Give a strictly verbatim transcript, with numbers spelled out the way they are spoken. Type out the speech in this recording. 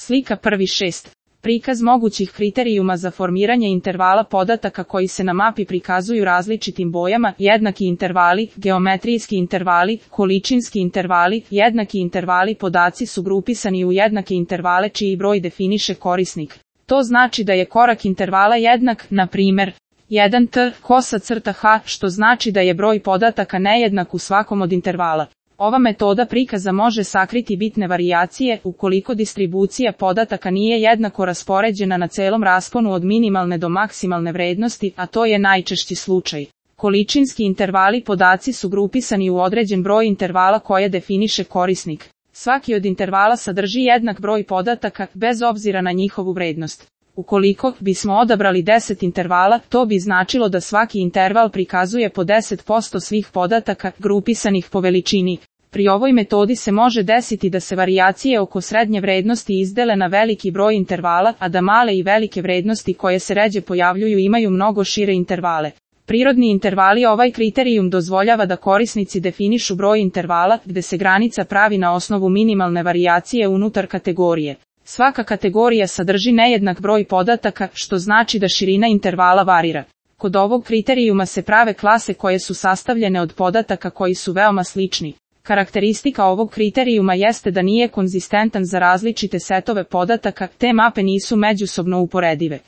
Slika prvi šest. Prikaz mogućih kriterijuma za formiranje intervala podataka koji se na mapi prikazuju različitim bojama, jednaki intervali, geometrijski intervali, količinski intervali, jednaki intervali. Podaci su grupisani u jednake intervale čiji broj definiše korisnik. To znači da je korak intervala jednak, na primjer, jedan t, kosa crta h, što znači da je broj podataka nejednak u svakom od intervala. Ova metoda prikaza može sakriti bitne varijacije ukoliko distribucija podataka nije jednako raspoređena na celom rasponu od minimalne do maksimalne vrednosti, a to je najčešći slučaj. Količinski intervali. Podaci su grupisani u određen broj intervala koje definiše korisnik. Svaki od intervala sadrži jednak broj podataka, bez obzira na njihovu vrednost. Ukoliko bismo odabrali deset intervala, to bi značilo da svaki interval prikazuje po deset posto svih podataka, grupisanih po veličini. Pri ovoj metodi se može desiti da se varijacije oko srednje vrednosti izdele na veliki broj intervala, a da male i velike vrednosti koje se ređe pojavljuju imaju mnogo šire intervale. Prirodni intervali. Ovaj kriterijum dozvoljava da korisnici definišu broj intervala, gde se granica pravi na osnovu minimalne varijacije unutar kategorije. Svaka kategorija sadrži nejednak broj podataka, što znači da širina intervala varira. Kod ovog kriterijuma se prave klase koje su sastavljene od podataka koji su veoma slični. Karakteristika ovog kriterijuma jeste da nije konzistentan za različite setove podataka, te mape nisu međusobno uporedive.